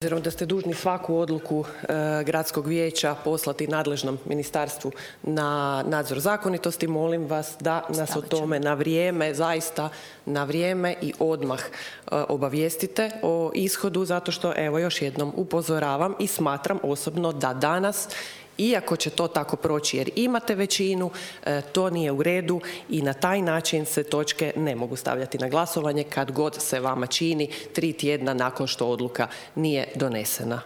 Obzirom da ste dužni svaku odluku gradskog vijeća poslati nadležnom ministarstvu na nadzor zakonitosti, molim vas da nas o tome na vrijeme, zaista na vrijeme i odmah obavijestite o ishodu, zato što, evo, još jednom upozoravam i smatram osobno da danas, iako će to tako proći jer imate većinu, to nije u redu i na taj način se točke ne mogu stavljati na glasovanje kad god se vama čini 3 tjedna nakon što odluka nije donesena.